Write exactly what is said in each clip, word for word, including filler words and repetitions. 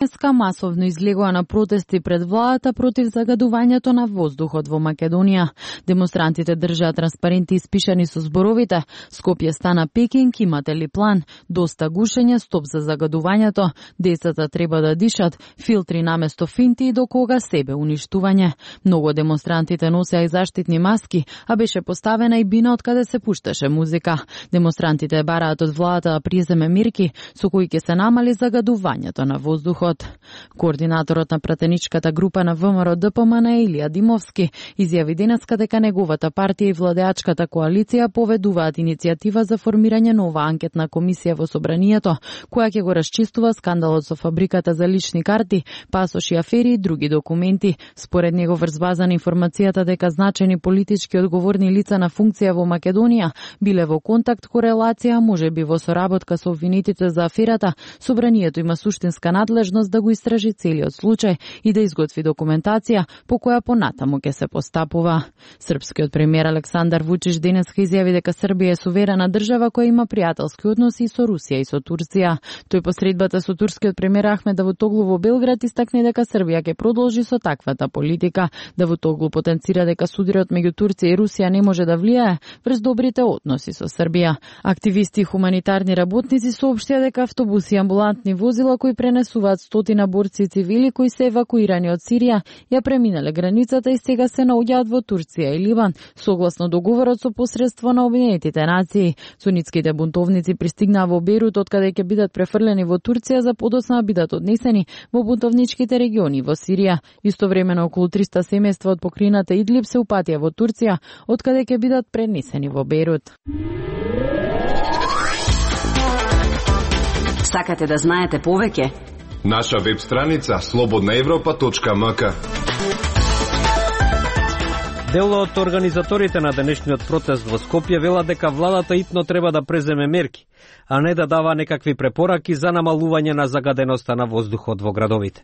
Денеска масовно излегува на протести пред владата против загадувањето на воздухот во Македонија. Демонстрантите држаат транспаренти испишани со зборовите: Скопје стана Пекинг, имате ли план? Доста гушење, стоп за загадувањето, децата треба да дишат, филтри наместо финти и до кога себе уништување. Многу демонстрантите носеа и заштитни маски, а беше поставена и бина од каде се пушташе музика. Демонстрантите бараат од владата да преземе мерки со кои ќе се намали загадувањето на воздухот. Координаторот на пратеничката група на ВМРО Д П М Н Илија Димовски изјави денеска дека неговата партија и владеачката коалиција поведуваат иницијатива за формирање нова анкетна комисија во собранието, која ќе го расчистува скандалот со фабриката за лични карти, пасоши, афери и други документи. Според него врз база на информацијата дека значени политички одговорни лица на функција во Македонија биле во контакт, корелација, можеби во соработка со обвинетите за аферата, собранието има суштинска надлежност да го истражи целиот случај и да изготви документација по која понатаму ќе се постапува. Српскиот премиер Александар Вучич денеска изјави дека Србија е суверена држава која има пријателски односи и со Русија и со Турција. Тој по средбата со турскиот премиер Ахмед Давутоглу во Белград истакне дека Србија ќе продолжи со таквата политика. Давутоглу потенцира дека сударот меѓу Турција и Русија не може да влијае врз добрите односи со Србија. Активисти и хуманитарни работници соопштија дека автобуси и амбулантни возила кои пренесуваат стотина борци и цивили кои се евакуирани од Сирија ја преминале границата и сега се наоѓаат во Турција и Ливан, согласно договорот со посредство на Обединетите нации. Сунитските бунтовници пристигнаа во Бейрут, од каде ќе бидат префрлени во Турција за подоцна бидат однесени во бунтовничките региони во Сирија. Истовремено околу триста семејства од покрајната Идлиб се упатија во Турција, од каде ќе бидат пренесени во Бейрут. Сакате да знаете повеќе? Наша веб страница слободна европа точка м к. Дел од организаторите на денешниот протест во Скопје велат дека владата итно треба да преземе мерки, а не да дава некакви препораки за намалување на загаденоста на воздухот во градовите.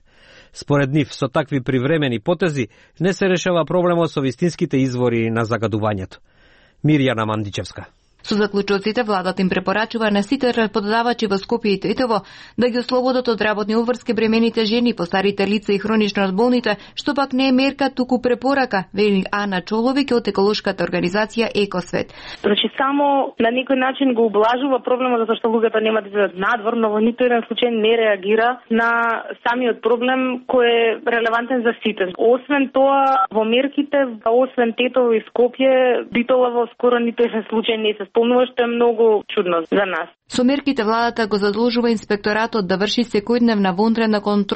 Според нив, со такви привремени потези не се решава проблемот со вистинските извори на загадувањето. Мирјана Мандичевска. Со заклучоците владата им препорачува на сите работодавачи во Скопје и Тетово да ги ослободат од работни обврски бремените жени, постарите лица и хронично разболните, што пак не е мерка, туку препорака, вели Ана Чоловик од еколошката организација Екосвет. Значи само на некој начин го облажува проблемот затоа што луѓето нема да излезат надвор, но во ниту еден случај не реагира на самиот проблем кој е релевантен за сите. Освен тоа, во мерките, освен Тетово и Скопје, Битола во скоро ниту еден случај не се спомнува, што е многу чудно за нас. Со мерките владата го задолжува инспекторатот да врши секојдневна вонредна контрола